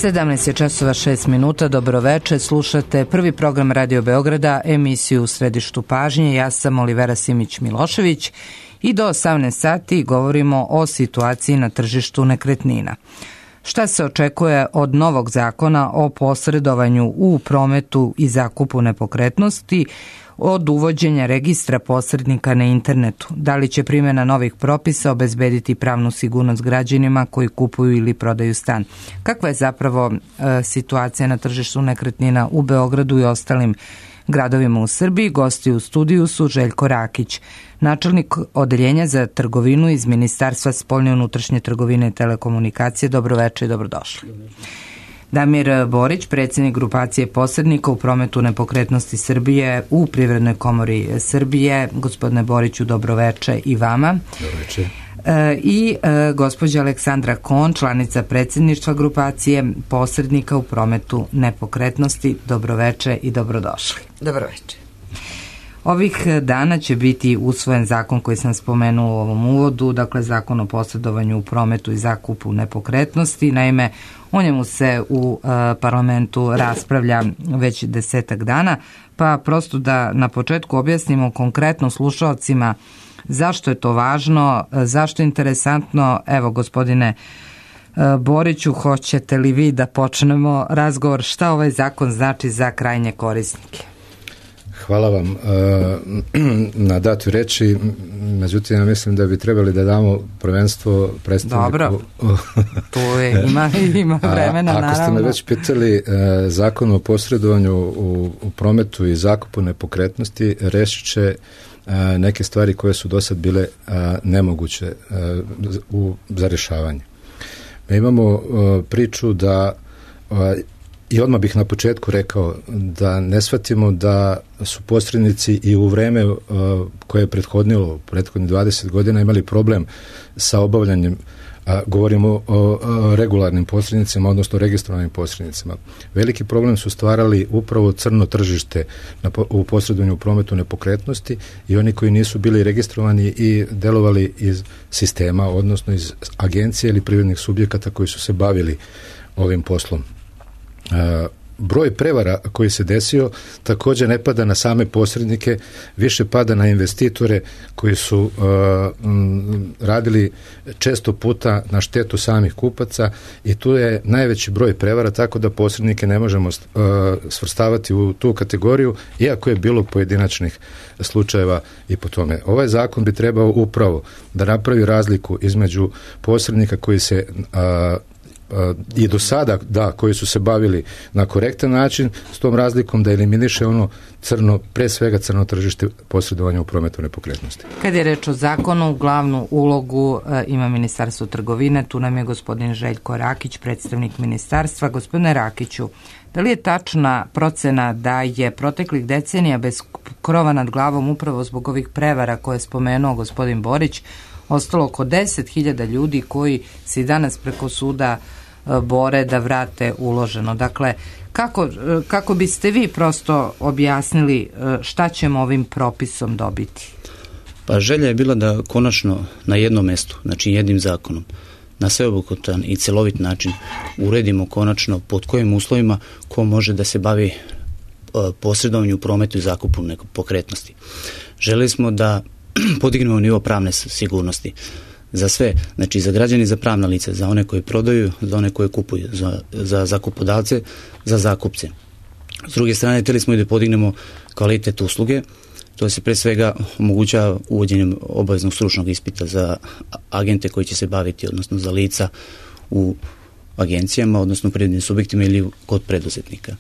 17 je časova 6 minuta, dobroveče, slušate prvi program Radio Beograda, emisiju U središtu pažnje, ja sam Olivera Simić-Milošević i do 18 sati govorimo o situaciji na tržištu nekretnina. Šta se očekuje od novog zakona o posredovanju u prometu i zakupu nepokretnosti, od uvođenja registra posrednika na internetu? Da li će primjena novih propisa obezbediti pravnu sigurnost građanima koji kupuju ili prodaju stan? Kakva je zapravo situacija na tržištu nekretnina u Beogradu i ostalim gradovima u Srbiji? Gosti u studiju su Željko Rakić, načelnik odeljenja za trgovinu iz Ministarstva spoljne unutrašnje trgovine i telekomunikacije. Dobroveče i dobrodošli. Damir Borić, predsjednik grupacije posrednika u prometu nepokretnosti Srbije u Privrednoj komori Srbije. Gospodine Boriću, dobroveče i vama. Dobroveče. I gospođa Aleksandra Kon, članica predsjedništva grupacije posrednika u prometu nepokretnosti. Dobroveče i dobrodošli. Dobroveče. Ovih dana će biti usvojen zakon koji sam spomenuo u ovom uvodu, dakle zakon o posredovanju u prometu i zakupu nepokretnosti. Naime, o njemu se u parlamentu raspravlja već 10 dana, pa prosto da na početku objasnimo konkretno slušalcima zašto je to važno, zašto je interesantno. Evo, gospodine Boriću, hoćete li vi da počnemo razgovor šta ovaj zakon znači za krajnje korisnike? Hvala vam na datoj reči, međutim ja mislim da bi trebali da damo prvenstvo predstavniku. Dobro, tu je, ima vremena, naravno. Ako ste me već pitali, zakon o posredovanju u prometu i zakupu nepokretnosti rešit će neke stvari koje su do sad bile nemoguće za rešavanje. Mi imamo priču da i odmah bih na početku rekao da ne shvatimo da su posrednici i u vreme koje je prethodnilo, prethodnih 20 godina, imali problem sa obavljanjem, govorimo o regularnim posrednicima, odnosno registrovanim posrednicima. Veliki problem su stvarali upravo crno tržište u posredovanju u prometu nepokretnosti i oni koji nisu bili registrovani i delovali iz sistema, odnosno iz agencije ili privrednih subjekata koji su se bavili ovim poslom. Broj prevara koji se desio također ne pada na same posrednike, više pada na investitore koji su radili često puta na štetu samih kupaca i tu je najveći broj prevara, tako da posrednike ne možemo svrstavati u tu kategoriju, iako je bilo pojedinačnih slučajeva i po tome. Ovaj zakon bi trebao upravo da napravi razliku između posrednika koji se i do sada, koji su se bavili na korektan način, s tom razlikom da eliminiše ono crno, pre svega crno tržište posredovanja u prometu nepokretnosti. Kad je reč o zakonu, glavnu ulogu ima Ministarstvo trgovine, tu nam je gospodin Željko Rakić, predstavnik ministarstva. Gospodine Rakiću, da li je tačna procena da je proteklih decenija bez krova nad glavom upravo zbog ovih prevara koje je spomenuo gospodin Borić ostalo oko 10.000 ljudi koji se danas preko suda bore da vrate uloženo? Dakle, kako biste vi prosto objasnili šta ćemo ovim propisom dobiti? Pa želja je bila da konačno na jednom mestu, znači jednim zakonom, na sveobuhvatan i celovit način uredimo konačno pod kojim uslovima ko može da se bavi posredovanju u prometu i zakupu nepokretnosti. Želeli smo da podignemo nivo pravne sigurnosti za sve, znači za građani, za pravna lica, za one koji prodaju, za one koji kupuju, za zakupodavce, za zakupce. S druge strane, htjeli smo i da podignemo kvalitet usluge, to se pre svega omogućava uvođenjem obaveznog stručnog ispita za agente koji će se baviti, odnosno za lica u agencijama, odnosno privrednim subjektima ili kod preduzetnika.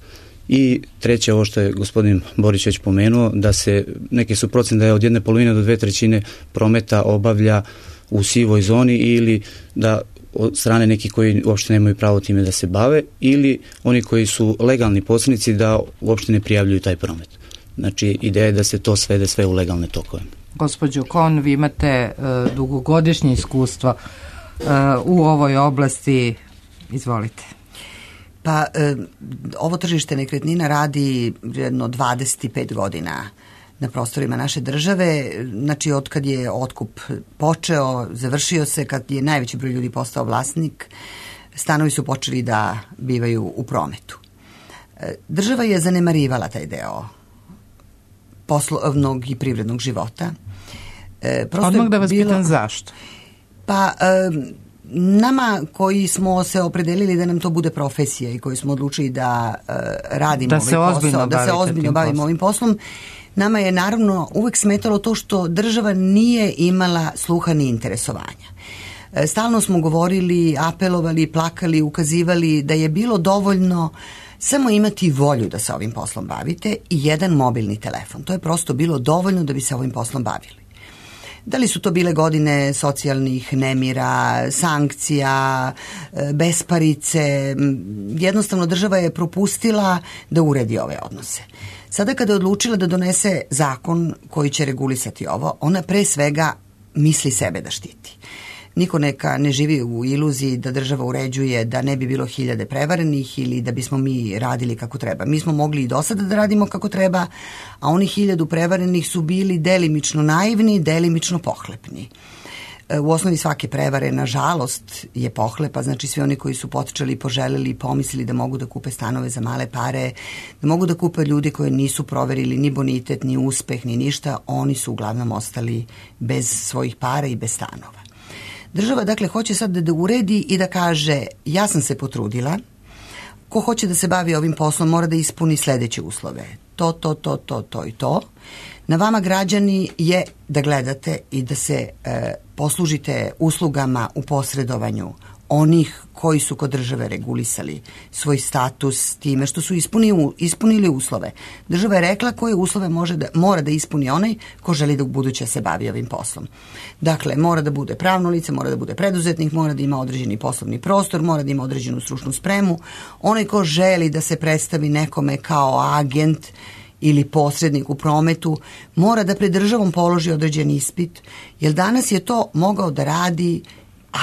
I treće, ovo što je gospodin Borić već pomenuo, da se, neke su procene da je od 1/2 do 2/3 prometa obavlja u sivoj zoni ili da od strane nekih koji uopšte nemaju pravo time da se bave ili oni koji su legalni posrednici da uopšte ne prijavljuju taj promet. Znači, ideja je da se to svede sve u legalne tokove. Gospođo Kon, vi imate dugogodišnje iskustvo u ovoj oblasti. Izvolite. Pa, ovo tržište nekretnina radi jedno 25 godina na prostorima naše države, znači od kad je otkup počeo, završio se, kad je najveći broj ljudi postao vlasnik, stanovi su počeli da bivaju u prometu. Država je zanemarivala taj deo poslovnog i privrednog života. Odmah da vas pitam zašto? Pa nama koji smo se opredelili da nam to bude profesija i koji smo odlučili da radimo da se ozbiljno bavimo ovim poslom, nama je naravno uvek smetalo to što država nije imala sluha ni interesovanja. Stalno smo govorili, apelovali, plakali, ukazivali da je bilo dovoljno samo imati volju da se ovim poslom bavite i jedan mobilni telefon. To je prosto bilo dovoljno da bi se ovim poslom bavili. Da li su to bile godine socijalnih nemira, sankcija, besparice, jednostavno država je propustila da uredi ove odnose. Sada kada je odlučila da donese zakon koji će regulisati ovo, ona pre svega misli sebe da štiti. Niko neka ne živi u iluziji da država uređuje da ne bi bilo 1000 prevarenih ili da bismo mi radili kako treba. Mi smo mogli i do sada da radimo kako treba, a oni 1000 prevarenih su bili delimično naivni, delimično pohlepni. U osnovi svake prevare, nažalost, je pohlepa, znači svi oni koji su potičali, poželeli i pomislili da mogu da kupe stanove za male pare, da mogu da kupe ljudi koji nisu proverili ni bonitet, ni uspeh, ni ništa, oni su uglavnom ostali bez svojih para i bez stanova. Država, dakle, hoće sad da uredi i da kaže, ja sam se potrudila, ko hoće da se bavi ovim poslom mora da ispuni sledeće uslove. To i to. Na vama, građani, je da gledate i da se poslužite uslugama u posredovanju onih koji su kod države regulisali svoj status time što su ispunili uslove. Država je rekla koje uslove mora da ispuni onaj ko želi da u buduće se bavi ovim poslom. Dakle, mora da bude pravno lice, mora da bude preduzetnik, mora da ima određeni poslovni prostor, mora da ima određenu stručnu spremu. Onaj ko želi da se predstavi nekome kao agent ili posrednik u prometu, mora da pred državom položi određen ispit, jer danas je to mogao da radi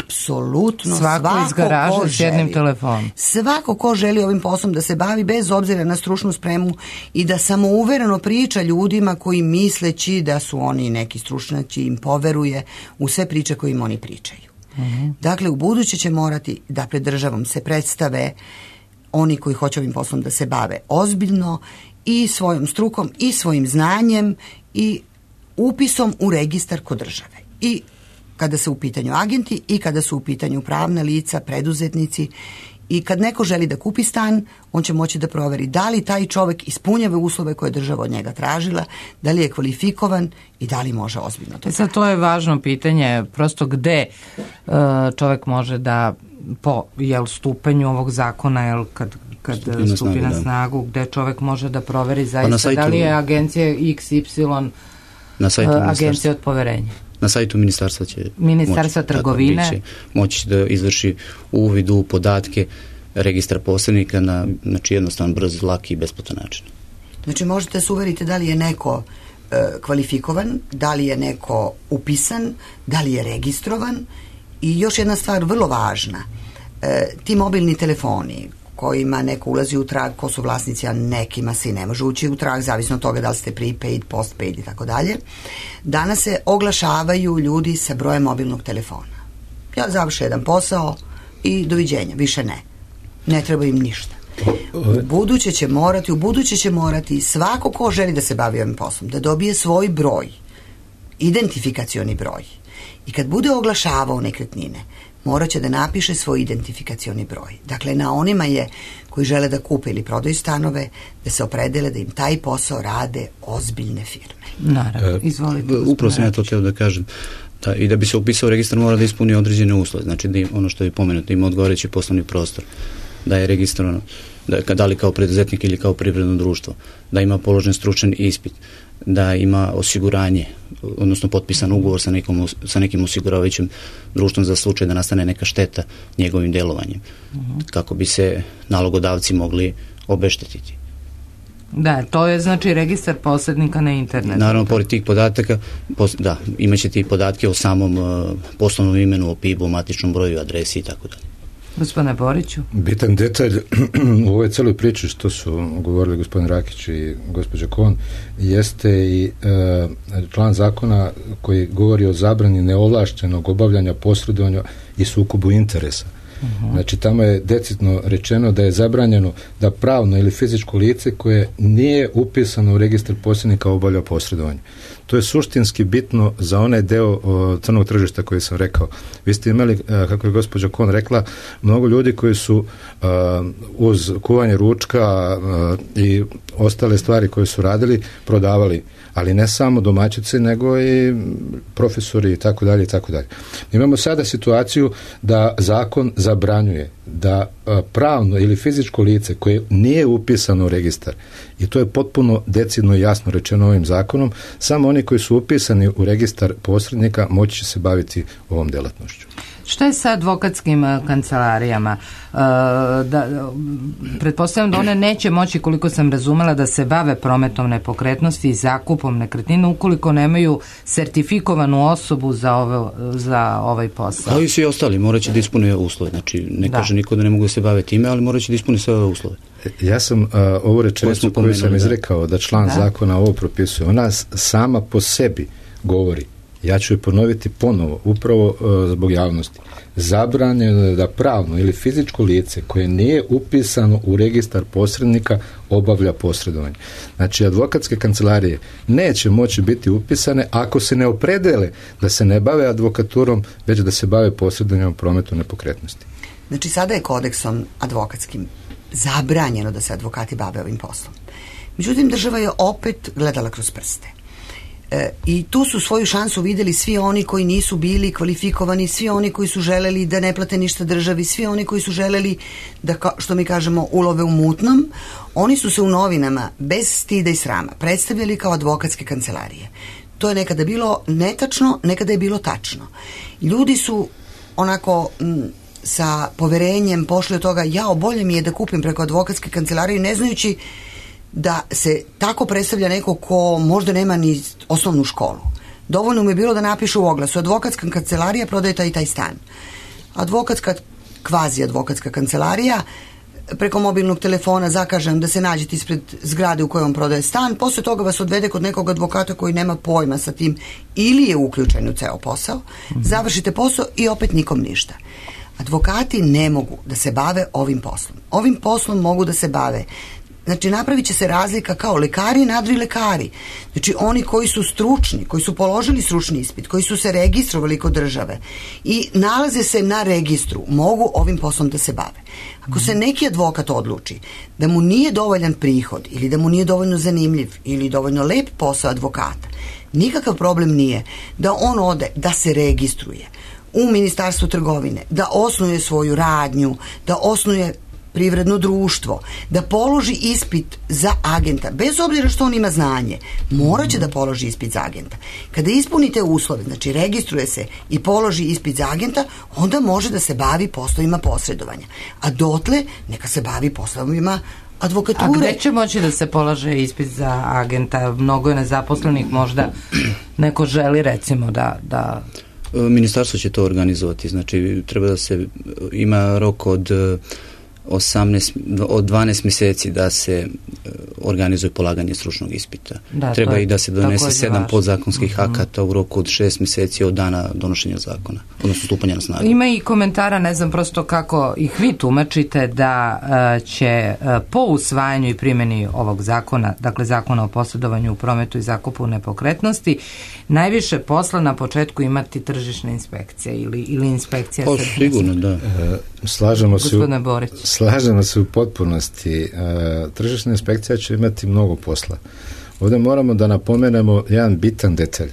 apsolutno svako iz garaže s jednim telefonom. Svako ko želi ovim poslom da se bavi bez obzira na stručnu spremu i da samouvereno priča ljudima koji misleći da su oni neki stručnjaci im poveruje u sve priče koje im oni pričaju. Dakle, u buduće će morati da pred državom se predstave oni koji hoće ovim poslom da se bave ozbiljno i svojom strukom i svojim znanjem i upisom u registar kod države. I kada su u pitanju agenti i kada su u pitanju pravna lica, preduzetnici i kad neko želi da kupi stan, on će moći da proveri da li taj čovek ispunjava uslove koje je država od njega tražila, da li je kvalifikovan i da li može ozbiljno to. Sad to je važno pitanje, prosto gde čovek može da po stupanju ovog zakona, kad stupi na snagu, gde čovek može da proveri zaista da li je agencija XY agencija od poverenja. Na sajtu Ministarstva trgovine moći da izvrši uvid u podatke registra posrednika na jednostavan, brz, laki i besplatan način. Znači možete se uveriti da li je neko kvalifikovan, da li je neko upisan, da li je registrovan i još jedna stvar vrlo važna, ti mobilni telefoni kojima neko ulazi u trag, ko su vlasnici, a nekima se i ne može ući u trag, zavisno od toga da li ste prepaid, postpaid i tako dalje. Danas se oglašavaju ljudi sa brojem mobilnog telefona. Ja završim jedan posao i doviđenja, više ne. Ne treba im ništa. U buduće će morati svako ko želi da se bavi ovim poslom, da dobije svoj broj, identifikacioni broj. I kad bude oglašavao nekretnine, morat će da napiše svoj identifikacioni broj. Dakle, na onima je koji žele da kupe ili prodaju stanove, da se opredele da im taj posao rade ozbiljne firme. Naravno, izvolite. Upravo sam ja to htio da kažem. I da bi se upisao registar mora da ispuni određene uslove. Znači, da ono što je pomenuto, da ima odgovarajući poslovni prostor, da je registrovano, da li kao preduzetnik ili kao privredno društvo, da ima položen stručan ispit, da ima osiguranje, odnosno potpisan ugovor sa nekim osiguravajućim društvom za slučaj da nastane neka šteta njegovim delovanjem, kako bi se nalogodavci mogli obeštetiti. Da, to je znači registar posrednika na internetu. Naravno, pored tih podataka, imaćete i podatke o samom poslovnom imenu, o PIB-u, matičnom broju, adresi i tako dalje. Gospodine Boriću. Bitan detalj u ovoj celoj priči što su govorili gospodin Rakić i gospođa Kon jeste i član zakona koji govori o zabrani neovlašćenog obavljanja, posredovanja i sukobu interesa. Znači, tamo je decidno rečeno da je zabranjeno da pravno ili fizičko lice koje nije upisano u registar posrednika obavlja posredovanje. To je suštinski bitno za onaj deo crnog tržišta koji sam rekao. Vi ste imali, kako je gospođa Kon rekla, mnogo ljudi koji su uz kuvanje ručka i ostale stvari koje su radili, prodavali, ali ne samo domaćice, nego i profesori i tako dalje i tako dalje. Imamo sada situaciju da zakon zabranjuje da pravno ili fizičko lice koje nije upisano u registar, i to je potpuno decidno i jasno rečeno ovim zakonom, samo oni koji su upisani u registar posrednika moći će se baviti ovom delatnošću. Šta je sa advokatskim kancelarijama? Pretpostavljam da one neće moći, koliko sam razumela, da se bave prometom nepokretnosti i zakupom nekretnina ukoliko nemaju sertifikovanu osobu za ovaj posao. Kao i svi ostali, morat će da ispune uslove. Znači, ne kaže niko da ne mogu da se bave time, ali morat će da ispune sve ove uslove. Ja sam ovu rečenicu koju sam izrekao da član zakona ovo propisuje, ona sama po sebi govori, ja ću je ponoviti ponovo, upravo zbog javnosti. Zabranjeno je da pravno ili fizičko lice koje nije upisano u registar posrednika obavlja posredovanje. Znači, advokatske kancelarije neće moći biti upisane ako se ne opredele da se ne bave advokaturom, već da se bave posredovanjem u prometu nepokretnosti. Znači, sada je kodeksom advokatskim zabranjeno da se advokati bave ovim poslom. Međutim, država je opet gledala kroz prste. I tu su svoju šansu vidjeli svi oni koji nisu bili kvalifikovani, svi oni koji su želeli da ne plate ništa državi, svi oni koji su želeli da, što mi kažemo, ulove u mutnom. Oni su se u novinama bez stida i srama predstavljali kao advokatske kancelarije. To je nekada bilo netačno, nekada je bilo tačno. Ljudi su onako sa poverenjem pošli od toga, bolje mi je da kupim preko advokatske kancelarije, ne znajući da se tako predstavlja neko ko možda nema ni osnovnu školu. Dovoljno mu je bilo da napišu u oglasu: advokatska kancelarija prodaje taj i taj stan. Kvazi advokatska kancelarija, preko mobilnog telefona zakažem da se nađete ispred zgrade u kojoj on prodaje stan, posle toga vas odvede kod nekog advokata koji nema pojma sa tim ili je uključen u ceo posao, završite posao i opet nikom ništa. Advokati ne mogu da se bave ovim poslom. Ovim poslom mogu da se bave, znači napravit će se razlika kao lekari i nadrilekari. Znači oni koji su stručni, koji su položili stručni ispit, koji su se registrovali kod države i nalaze se na registru, mogu ovim poslom da se bave. Ako se neki advokat odluči da mu nije dovoljan prihod ili da mu nije dovoljno zanimljiv ili dovoljno lep posao advokata, nikakav problem nije da on ode, da se registruje u Ministarstvu trgovine, da osnuje svoju radnju, da osnuje privredno društvo, da položi ispit za agenta, bez obzira što on ima znanje, morat će da položi ispit za agenta. Kada ispunite uslove, znači registruje se i položi ispit za agenta, onda može da se bavi poslovima posredovanja. A dotle neka se bavi poslovima advokature. A gde će moći da se polaže ispit za agenta? Mnogo je nezaposlenih, možda neko želi recimo da... Ministarstvo će to organizovati, znači treba da se ima rok od 12 mjeseci da se organizuje polaganje stručnog ispita. Treba i da se donese 7 podzakonskih akata u roku od 6 mjeseci od dana donošenja zakona, odnosno stupanja na snagu. Ima i komentara, ne znam prosto kako ih vi tumačite, da će po usvajanju i primjeni ovog zakona, dakle zakona o posredovanju u prometu i zakupu nepokretnosti, najviše posla na početku imati tržišna inspekcija ili inspekcija. Sigurno, da. Slažemo se u potpunosti. Tržišna inspekcija će imati mnogo posla. Ovdje moramo da napomenemo jedan bitan detalj.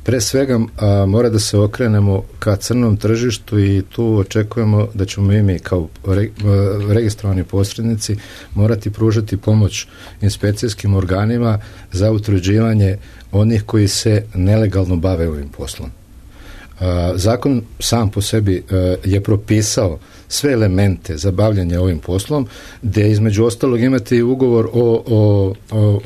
Pre svega mora da se okrenemo ka crnom tržištu i tu očekujemo da ćemo mi kao registrovani posrednici morati pružati pomoć inspekcijskim organima za utvrđivanje onih koji se nelegalno bave ovim poslom. Zakon sam po sebi je propisao sve elemente za bavljanje ovim poslom, gdje između ostalog imate i ugovor o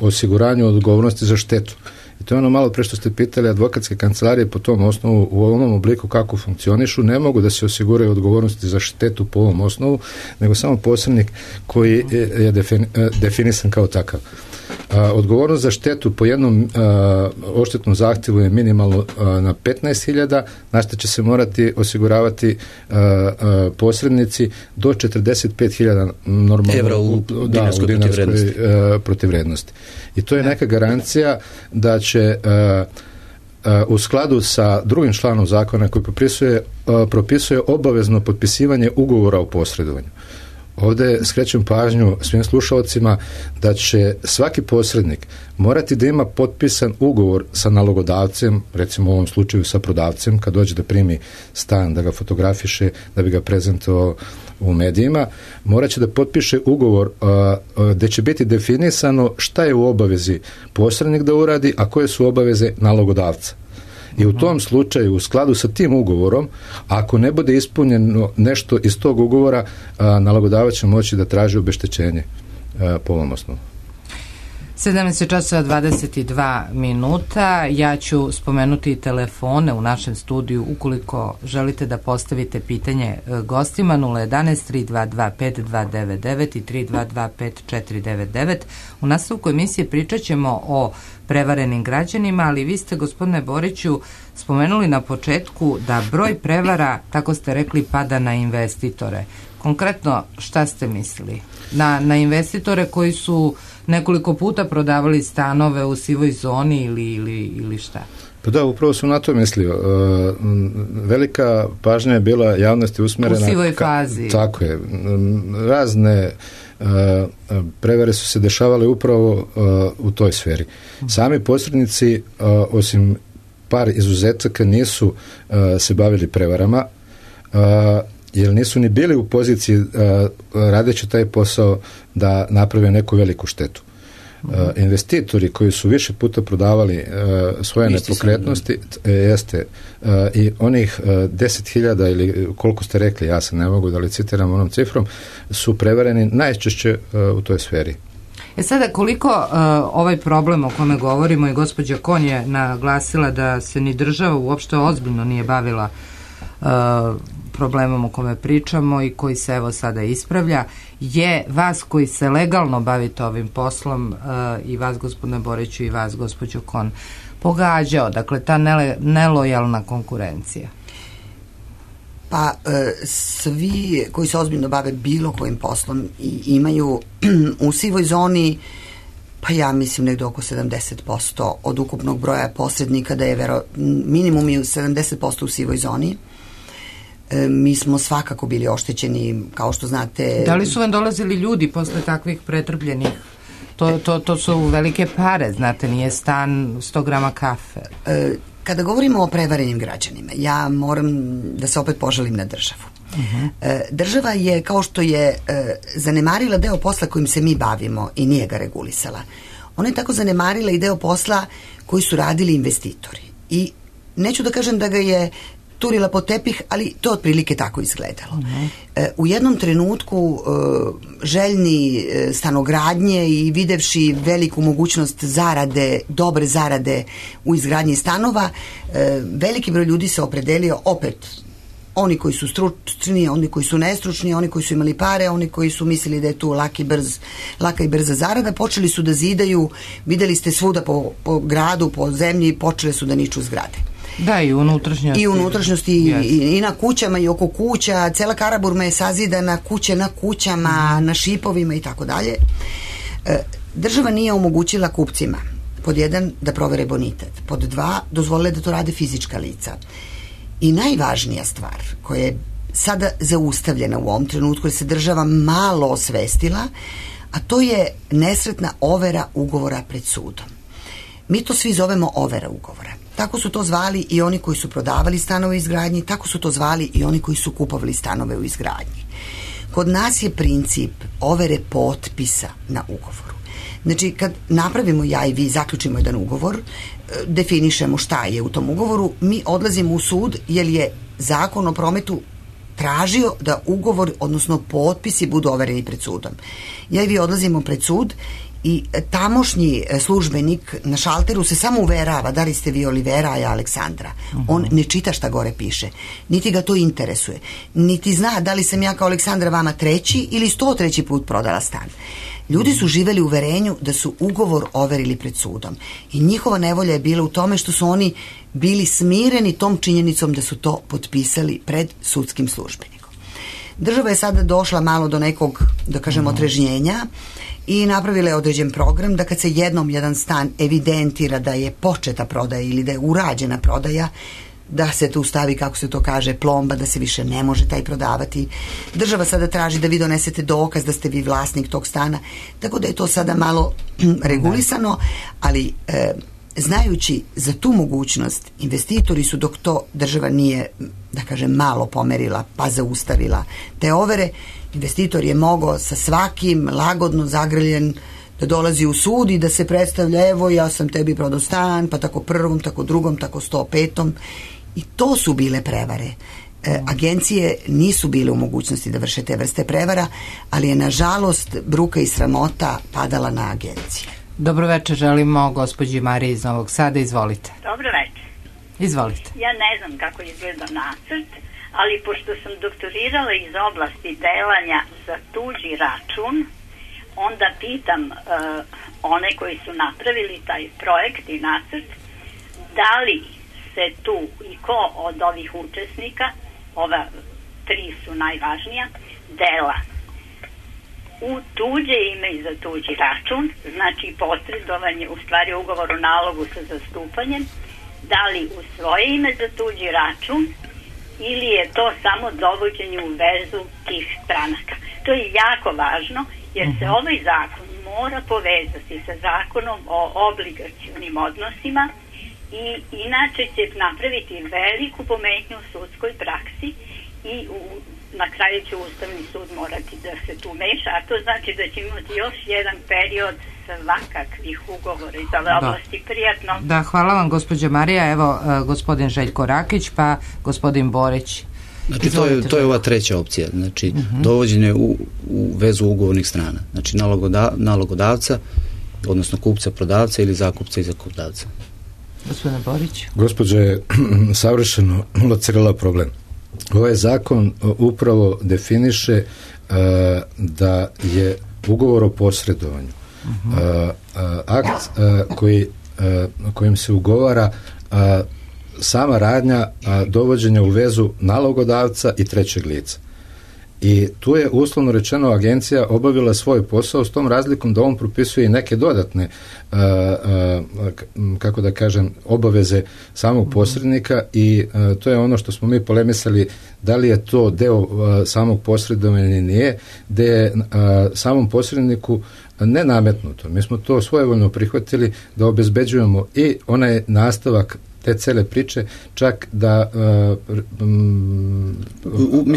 osiguranju odgovornosti za štetu. I to je ono malo pre što ste pitali, advokatske kancelarije po tom osnovu u ovom obliku kako funkcionišu ne mogu da se osiguraju odgovornosti za štetu po ovom osnovu, nego samo posrednik koji je definisan kao takav. Odgovornost za štetu po jednom odštetnom zahtjevu je minimalno na 15.000, na što će se morati osiguravati posrednici do 45.000 normalno evra u dinarskoj protivvrednosti. I to je neka garancija da će u skladu sa drugim članom zakona koji propisuje obavezno potpisivanje ugovora o posredovanju. Ovdje skrećem pažnju svim slušalcima da će svaki posrednik morati da ima potpisan ugovor sa nalogodavcem, recimo u ovom slučaju sa prodavcem, kad dođe da primi stan, da ga fotografiše, da bi ga prezentovao u medijima, morat će da potpiše ugovor gdje će biti definisano šta je u obavezi posrednik da uradi, a koje su obaveze nalogodavca. I u tom slučaju, u skladu sa tim ugovorom, ako ne bude ispunjeno nešto iz tog ugovora, nalogodavac će moći da traži obeštećenje po ovom osnovu. 17:22. Ja ću spomenuti telefone u našem studiju ukoliko želite da postavite pitanje gostima. 011-322-5299 i 322-5499. U nastavku emisije pričat ćemo o prevarenim građanima, ali vi ste, gospodine Boriću, spomenuli na početku da broj prevara, tako ste rekli, pada na investitore. Konkretno, šta ste mislili? Na investitore koji su nekoliko puta prodavali stanove u sivoj zoni ili šta? Pa da, upravo sam na to mislio. Velika pažnja je bila javnosti usmjerena... U sivoj fazi. Tako je. Razne prevare su se dešavale upravo u toj sferi. Sami posrednici, osim par izuzetaka, nisu se bavili prevarama, jer nisu ni bili u poziciji radeći taj posao da naprave neku veliku štetu. Investitori koji su više puta prodavali svoje nepokretnosti, i onih 10.000 ili koliko ste rekli, ja se ne mogu da licitiram onom cifrom, su prevareni najčešće u toj sferi. Sada, koliko ovaj problem o kome govorimo, i gospođa Kon je naglasila da se ni država uopšte ozbiljno nije bavila problemom o kome pričamo i koji se evo sada ispravlja, je vas koji se legalno bavite ovim poslom, i vas, gospodine Boriću, i vas, gospođo Kon, pogađao, dakle, ta nelojalna konkurencija? Pa svi koji se ozbiljno bave bilo kojim poslom i imaju u sivoj zoni, pa ja mislim negdje oko 70% od ukupnog broja posrednika, da je minimum je 70% u sivoj zoni. Mi smo svakako bili oštećeni, kao što znate. Da li su vam dolazili ljudi posle takvih pretrpljenih? To su velike pare, znate, nije stan 100 grama kafe. Kada govorimo o prevarenim građanima, ja moram da se opet požalim na državu. Država je, kao što je zanemarila deo posla kojim se mi bavimo i nije ga regulisala, ona je tako zanemarila i deo posla koji su radili investitori. I neću da kažem da ga je turila pod tepih, ali to otprilike tako izgledalo. U jednom trenutku željni stanogradnje i videvši veliku mogućnost zarade, dobre zarade u izgradnji stanova, veliki broj ljudi se opredelio, opet oni koji su stručni, oni koji su nestručni, oni koji su imali pare, oni koji su mislili da je tu laka i brza zarada, počeli su da zidaju, videli ste svuda po gradu, po zemlji, počele su da niču zgrade. Da, i u unutrašnjosti. I u unutrašnjosti, i na kućama, i oko kuća. Cela Karaburma je sazidana, kuće na kućama, na šipovima i tako dalje. Država nije omogućila kupcima, pod 1, da provere bonitet, pod 2, dozvolile da to rade fizička lica. I najvažnija stvar koja je sada zaustavljena u ovom trenutku, jer se država malo osvestila, a to je nesretna overa ugovora pred sudom. Mi to svi zovemo overa ugovora. Tako su to zvali i oni koji su prodavali stanove u izgradnji, tako su to zvali i oni koji su kupovali stanove u izgradnji. Kod nas je princip overe potpisa na ugovoru. Znači, kad napravimo ja i vi, zaključimo jedan ugovor, definišemo šta je u tom ugovoru, mi odlazimo u sud jer je Zakon o prometu tražio da ugovor, odnosno potpisi, budu overeni pred sudom. Ja i vi odlazimo pred sud i tamošnji službenik na šalteru se samo uverava da li ste vi Olivera, a ja Aleksandra. On ne čita šta gore piše, niti ga to interesuje, niti zna da li sam ja kao Aleksandra vama 3. ili 103. put prodala stan. Ljudi su živeli u uverenju da su ugovor overili pred sudom i njihova nevolja je bila u tome što su oni bili smireni tom činjenicom da su to potpisali pred sudskim službenikom. Država je sada došla malo do nekog, da kažem, otrežnjenja i napravila je određen program da kad se jednom jedan stan evidentira da je početa prodaja ili da je urađena prodaja, da se tu stavi, kako se to kaže, plomba, da se više ne može taj prodavati. Država sada traži da vi donesete dokaz da ste vi vlasnik tog stana, tako da je to sada malo regulisano, ali znajući za tu mogućnost, investitori su, dok to država nije, da kažem, malo pomerila pa zaustavila te overe, investitor je mogao sa svakim lagodno zagrljen da dolazi u sud i da se predstavlja, evo ja sam tebi prodao stan, pa tako prvom, tako drugom, tako 105. I to su bile prevare. Agencije nisu bile u mogućnosti da vrše te vrste prevara, ali je nažalost bruka i sramota padala na agencije. Dobro večer, želimo gospođi Mariji iz Novog Sada, izvolite. Dobro večer. Izvolite. Ja ne znam kako izgleda nacrt, ali pošto sam doktorirala iz oblasti delanja za tuđi račun, onda pitam one koji su napravili taj projekt i nacrt, da li se tu i ko od ovih učesnika, ova 3 su najvažnija, dela u tuđe ime i za tuđi račun, znači posredovanje, u stvari ugovor o nalogu sa zastupanjem, da li u svoje ime za tuđi račun ili je to samo dovođenje u vezu tih stranaka. To je jako važno jer se ovaj zakon mora povezati sa zakonom o obligacionim odnosima i inače će napraviti veliku pometnju u sudskoj praksi i na kraju će Ustavni sud morati da se tu meša, a to znači da će imati još jedan period svakakvih ugovora iz ove oblasti. Prijatno. Da, hvala vam gospođa Marija. Evo gospodin Željko Rakić, pa gospodin Borić. Znači to je ova treća opcija, znači dovođenje u vezu ugovornih strana, znači nalogodavca, odnosno kupca, prodavca ili zakupca i zakupdavca. Gospodine Borić. Gospođa je savršeno locirala problem. Ovaj zakon upravo definiše da je ugovor o posredovanju akt kojim se ugovara sama radnja dovođenja u vezu nalogodavca i trećeg lica. I tu je uslovno rečeno agencija obavila svoj posao s tom razlikom da on propisuje i neke dodatne kako da kažem obaveze samog posrednika i to je ono što smo mi polemisali da li je to deo samog posredovanja ili nije, gde je samom posredniku ne nametnuto. Mi smo to svojevoljno prihvatili da obezbeđujemo i onaj nastavak te cele priče, čak da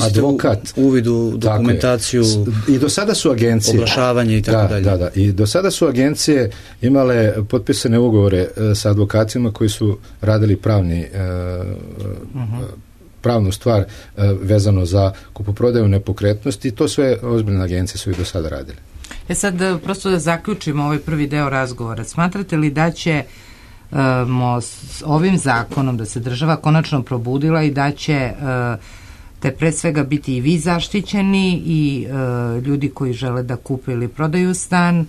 advokat uvid u dokumentaciju i do sada su agencije oglašavanje i tako dalje. Da, i do sada su agencije imale potpisane ugovore sa advokatima koji su radili pravnu stvar vezano za kupoprodaju nepokretnosti i to sve ozbiljne agencije su i do sada radile. Sad, prosto da zaključimo ovaj prvi deo razgovora. Smatrate li da će s ovim zakonom da se država konačno probudila i da će te pre svega biti i vi zaštićeni i ljudi koji žele da kupe ili prodaju stan,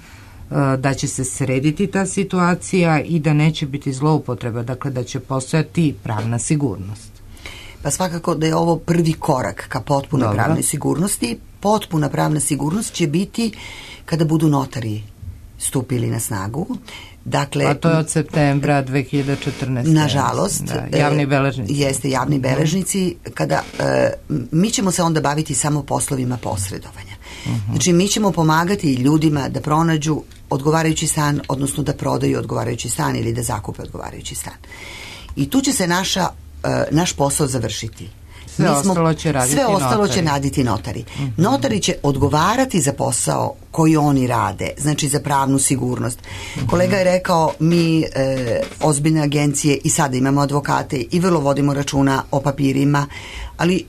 da će se srediti ta situacija i da neće biti zloupotreba, dakle da će postojati pravna sigurnost? Pa svakako da je ovo prvi korak ka potpunoj pravnoj sigurnosti. Potpuna pravna sigurnost će biti kada budu notari stupili na snagu. Dakle, a to je od septembra 2014. Nažalost. Da, javni beležnici. Jeste, javni beležnici. Kada, mi ćemo se onda baviti samo poslovima posredovanja. Znači, mi ćemo pomagati ljudima da pronađu odgovarajući stan, odnosno da prodaju odgovarajući stan ili da zakupe odgovarajući stan. I tu će se naš posao završiti. Sve ostalo će raditi notari. Notari će odgovarati za posao koji oni rade, znači za pravnu sigurnost. Kolega je rekao, mi ozbiljne agencije i sada imamo advokate i vrlo vodimo računa o papirima, ali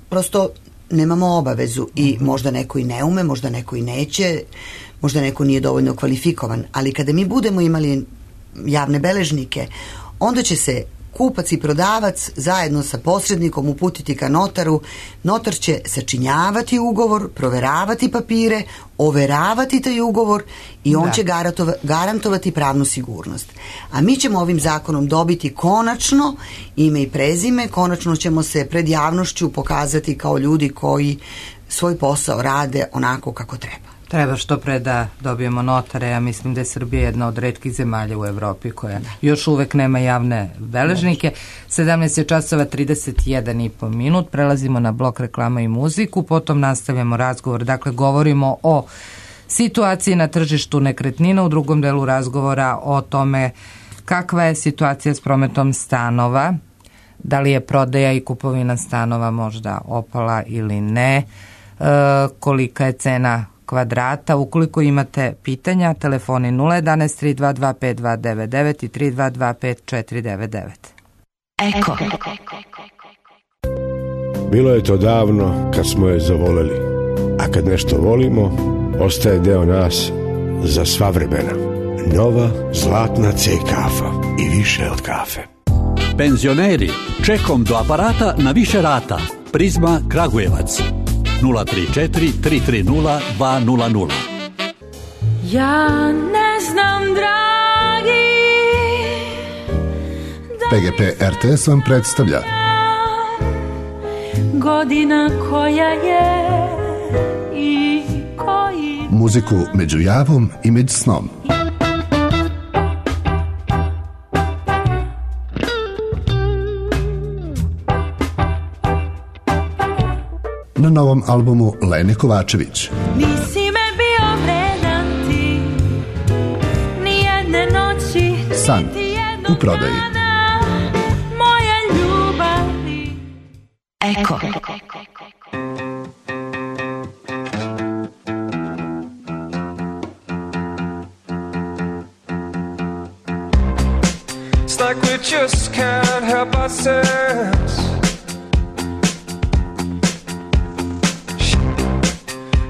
prosto nemamo obavezu i možda neko i ne ume, možda neko i neće, možda neko nije dovoljno kvalifikovan, ali kada mi budemo imali javne beležnike, onda će se kupac i prodavac zajedno sa posrednikom uputiti ka notaru. Notar će sačinjavati ugovor, proveravati papire, overavati taj ugovor i on će garantovati pravnu sigurnost. A mi ćemo ovim zakonom dobiti konačno ime i prezime, konačno ćemo se pred javnošću pokazati kao ljudi koji svoj posao rade onako kako treba. Treba što pre da dobijemo notare. Ja mislim da je Srbija jedna od retkih zemalja u Evropi koja još uvek nema javne beležnike. 17:31 minut. Prelazimo na blok reklama i muziku, potom nastavljamo razgovor. Dakle, govorimo o situaciji na tržištu nekretnina, u drugom delu razgovora o tome kakva je situacija s prometom stanova, da li je prodaja i kupovina stanova možda opala ili ne, kolika je cena kvadrata. Ukoliko imate pitanja, telefoni 011 322 5299 i 322 5499. Eko. Bilo je to davno kad smo je zavoleli, a kad nešto volimo, ostaje deo nas za sva vremena. Nova zlatna C kafa i više od kafe. Penzioneri, čekom do aparata na više rata. Prizma Kragujevac 034 330 200. Ja ne znam, dragi, PGP RTS vam predstavlja godina koja je i koji muziku među javom i među snom. Na novom albumu Lene Kovačević. Nisi me bio vredan ti, nijedne noći, San u prodaji. Moja ljubavi. Eko. It's like we just can't help ourselves.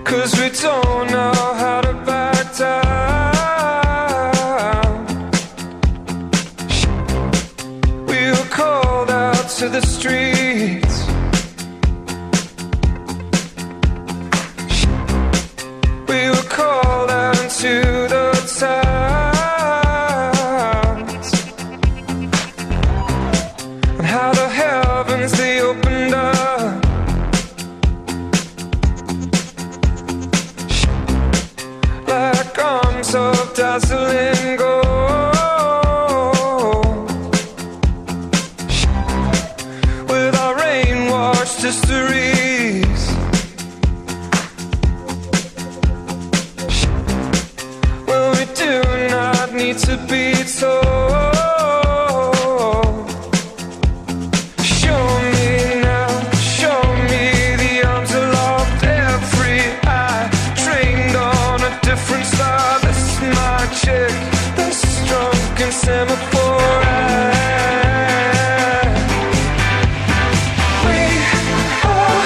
'Cause we don't know how to back down. We were called out to the streets. We were called out into the towns. And how the heavens they opened up. Of dazzling gold, with our rain-washed histories, well, we do not need to be told. Show me now, show me the arms aloft, every eye trained on a different star. My chick, the strong and semaphore eye. We are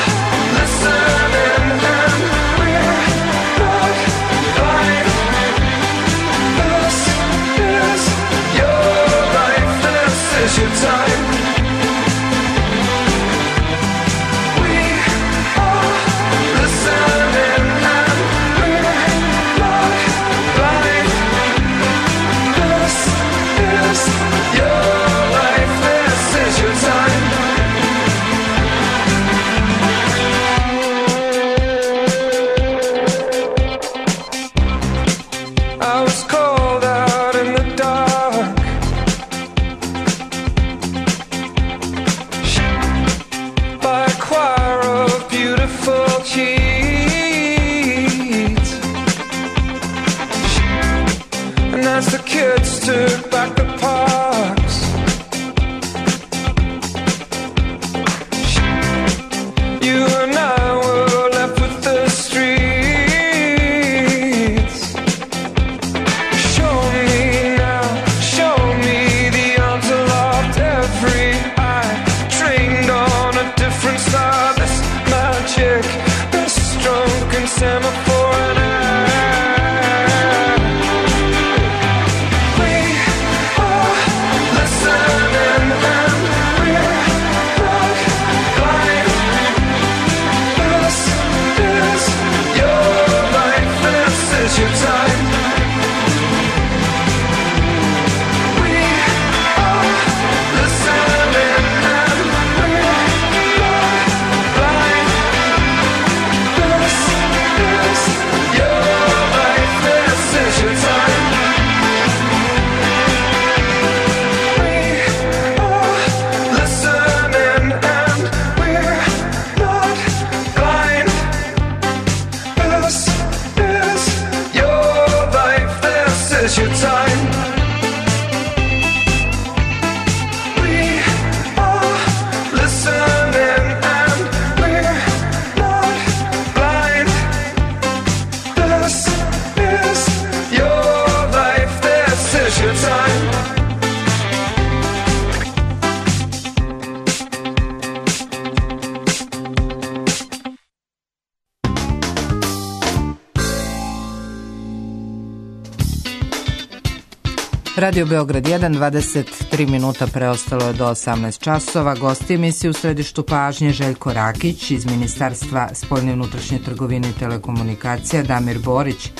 Radio Beograd 1, 23 minuta preostalo je do 18 časova. Gosti emisije u središtu pažnje Željko Rakić iz Ministarstva spoljne i unutrašnje trgovine i telekomunikacija, Damir Borić,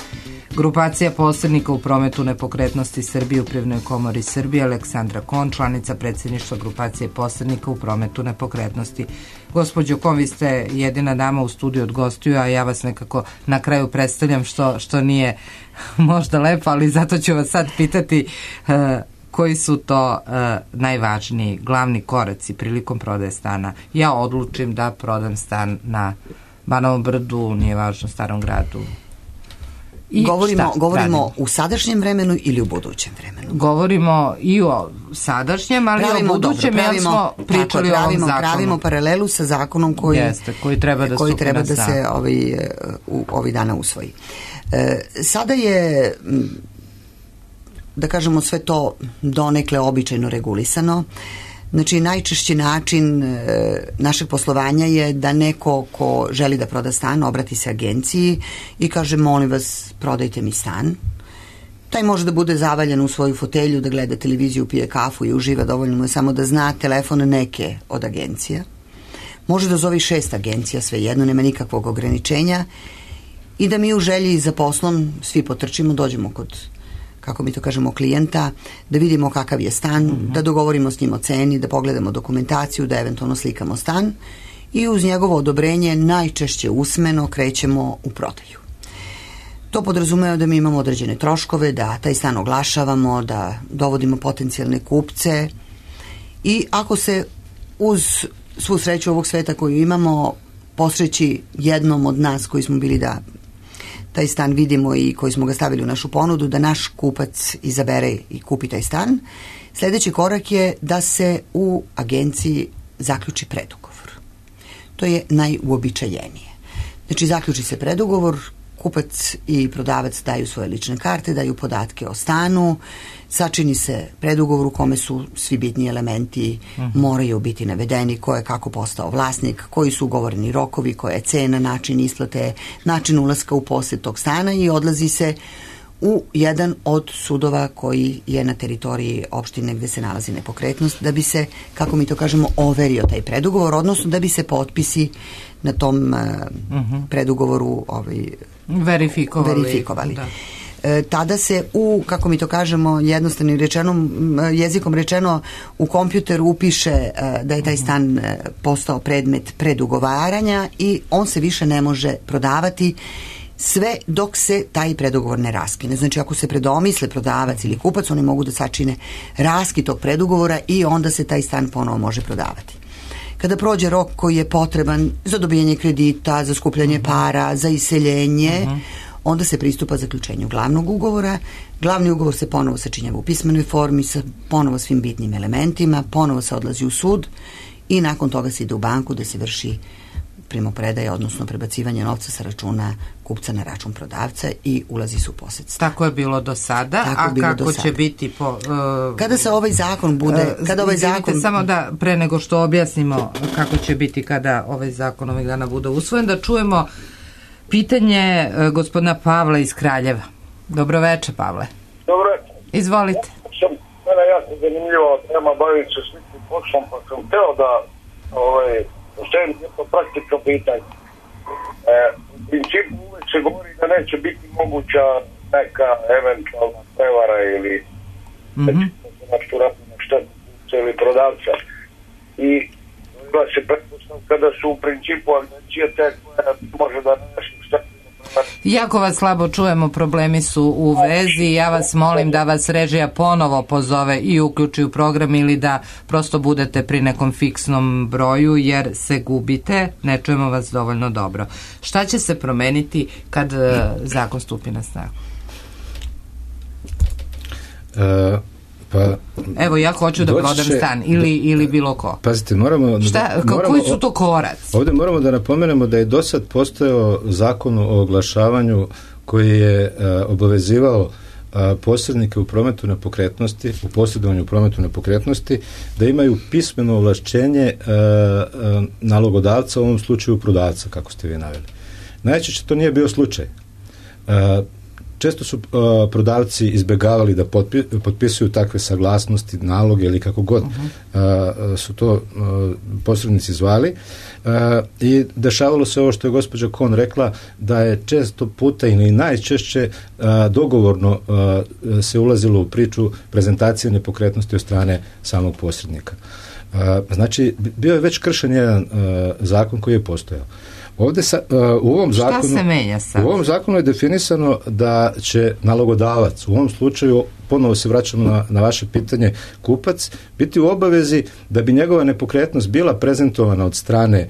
grupacija posrednika u prometu nepokretnosti Srbije u Privrednoj komori Srbije, Aleksandra Kon, članica predsjedništva grupacije posrednika u prometu nepokretnosti. Gospođo Kon, vi ste jedina dama u studiju od gostiju, a ja vas nekako na kraju predstavljam što nije možda lepo, ali zato ću vas sad pitati koji su to najvažniji, glavni koraci prilikom prodaje stana. Ja odlučim da prodam stan na Banovom Brdu, nije važno, Starom Gradu. Govorimo u sadašnjem vremenu ili u budućem vremenu? Govorimo i o sadašnjem, ali i o budućem, jer smo pričali o ovom zakonu. Pravimo paralelu sa zakonom koji treba da se ovih dana usvoji. Sada je, da kažemo, sve to donekle običajno regulisano. Znači, najčešći način našeg poslovanja je da neko ko želi da proda stan obrati se agenciji i kaže: molim vas, prodajte mi stan. Taj može da bude zavaljen u svoju fotelju, da gleda televiziju, pije kafu i uživa, dovoljno mu je samo da zna telefon neke od agencija. Može da zove 6 agencija, svejedno, nema nikakvog ograničenja, i da mi u želji za poslom svi potrčimo, dođemo kod, kako mi to kažemo, klijenta, da vidimo kakav je stan, da dogovorimo s njim o ceni, da pogledamo dokumentaciju, da eventualno slikamo stan i uz njegovo odobrenje, najčešće usmeno, krećemo u prodaju. To podrazumeva da mi imamo određene troškove, da taj stan oglašavamo, da dovodimo potencijalne kupce, i ako se uz svu sreću ovog sveta koju imamo posreći jednom od nas koji smo bili da taj stan vidimo i koji smo ga stavili u našu ponudu, da naš kupac izabere i kupi taj stan, sljedeći korak je da se u agenciji zaključi predugovor. To je najuobičajenije. Znači, zaključi se predugovor, kupac i prodavac daju svoje lične karte, daju podatke o stanu, sačini se predugovor u kome su svi bitni elementi, moraju biti navedeni, ko je kako postao vlasnik, koji su ugovoreni rokovi, koja je cena, način isplate, način ulaska u posjed tog stana, i odlazi se u jedan od sudova koji je na teritoriji opštine gde se nalazi nepokretnost, da bi se, kako mi to kažemo, overio taj predugovor, odnosno da bi se potpisi na tom predugovoru verifikovali. Da. Tada se kako mi to kažemo, jednostavnim jezikom rečeno, u kompjuteru upiše da je taj stan postao predmet predugovaranja i on se više ne može prodavati sve dok se taj predugovor ne raskine. Znači, ako se predomisle prodavac ili kupac, oni mogu da sačine raskid tog predugovora i onda se taj stan ponovo može prodavati. Kada prođe rok koji je potreban za dobijanje kredita, za skupljanje para, za iseljenje, onda se pristupa zaključenju glavnog ugovora. Glavni ugovor se ponovo sačinjava u pismenoj formi sa ponovo svim bitnim elementima, ponovo se odlazi u sud i nakon toga se ide u banku da se vrši primopredaja, odnosno prebacivanje novca sa računa kupca na račun prodavca i ulazi se u posjed. Tako je bilo do sada, kako će biti kada se ovaj zakon bude... Samo da, pre nego što objasnimo kako će biti kada ovaj zakon ovih dana bude usvojen, da čujemo pitanje gospodina Pavla iz Kraljeva. Dobroveče, Pavle. Dobroveče. Izvolite. Mene je jako zanimljivo tema, baviti se sličnim poslom, pa sam hteo da postavim jedno praktično pitanje. U principu uvek se govori da neće biti moguća neka eventualna prevara ili nešto radimo štetu ili prodavca. I bila se pretpostavka da su u principu agencije te koje može da nešto štetu. Jako vas slabo čujemo, problemi su u vezi. Ja vas molim da vas režija ponovo pozove i uključi u program ili da prosto budete pri nekom fiksnom broju jer se gubite, ne čujemo vas dovoljno dobro. Šta će se promeniti kad zakon stupi na snagu? Evo, ja hoću da prodam stan ili bilo ko. Pazite, koji su to koraci? Ovdje moramo da napomenemo da je do sad postojao zakon o oglašavanju koji je obavezivao posrednike u prometu nepokretnosti, u posredovanju prometu nepokretnosti, da imaju pismeno ovlašćenje nalogodavca, u ovom slučaju prodavca, kako ste vi naveli. Najčešće to nije bio slučaj. često su prodavci izbjegavali da potpisuju takve saglasnosti, naloge ili kako god su to posrednici zvali, i dešavalo se ovo što je gospođa Kon rekla, da je često puta ili najčešće dogovorno se ulazilo u priču prezentacije nepokretnosti od strane samog posrednika. Znači, bio je već kršen jedan zakon koji je postojao. Ovdje u ovom zakonu, šta se menja sad? U ovom zakonu je definisano da će nalogodavac, u ovom slučaju ponovo se vraćamo na vaše pitanje, kupac, biti u obavezi da bi njegova nepokretnost bila prezentovana od strane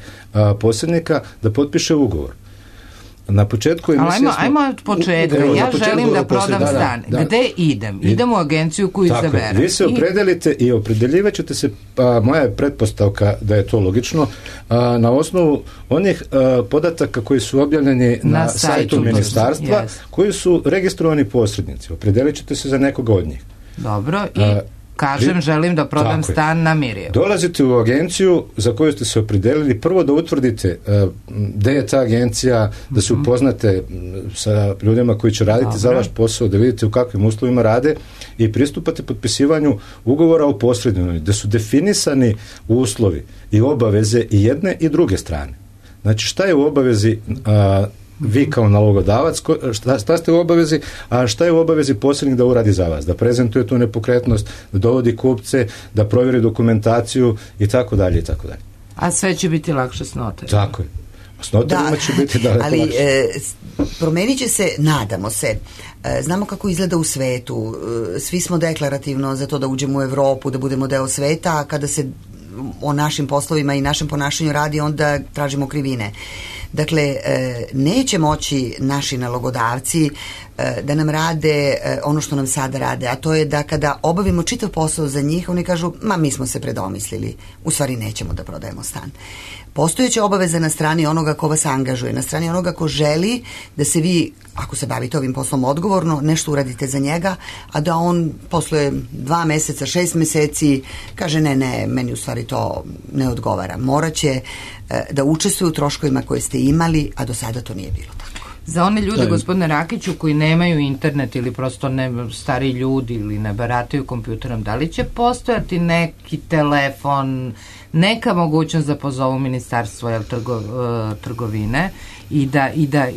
posrednika, da potpiše ugovor. Na početku emisije ajmo od početka. Ja želim da prodam stan. Gde idem? Idem u agenciju koju izaberem. Vi se opredelite i opredeljivat ćete se, moja je pretpostavka da je to logično, na osnovu onih podataka koji su objavljeni na sajtu ministarstva, koji su registrovani posrednici. Opredelit ćete se za nekoga od njih. Dobro, i kažem, želim da prodam stan na Mirjevu. Dolazite u agenciju za koju ste se opredelili, prvo da utvrdite gde je ta agencija, da se upoznate sa ljudima koji će raditi za vaš posao, da vidite u kakvim uslovima rade i pristupate potpisivanju ugovora o posredovanju, da su definisani uslovi i obaveze i jedne i druge strane. Znači, šta je u obavezi vi kao nalogodavac, šta ste u obavezi, a šta je u obavezi posrednik da uradi za vas, da prezentuje tu nepokretnost, da dovodi kupce, da provjeri dokumentaciju i tako dalje i tako dalje. A sve će biti lakše s notarima. Tako je. S notarima će biti daleko lakše. Ali promenit će se, nadamo se. Znamo kako izgleda u svetu. Svi smo deklarativno za to da uđemo u Evropu, da budemo deo sveta, a kada se o našim poslovima i našem ponašanju radi, onda tražimo krivine. Dakle, neće moći naši nalogodavci da nam rade ono što nam sada rade, a to je da kada obavimo čitav posao za njih, oni kažu, mi smo se predomislili, u stvari nećemo da prodajemo stan. Postojeća obaveza na strani onoga ko vas angažuje, na strani onoga ko želi da se vi, ako se bavite ovim poslom odgovorno, nešto uradite za njega, a da on posle 2 meseca, 6 meseci kaže ne, meni u stvari to ne odgovara. Moraće da učestvuju u troškovima koje ste imali, a do sada to nije bilo tako. Za one ljude, gospodine Rakiću, koji nemaju internet ili prosto stari ljudi ili ne barataju kompjuterom, da li će postojati neki telefon, neka mogućnost da pozovu ministarstvo trgovine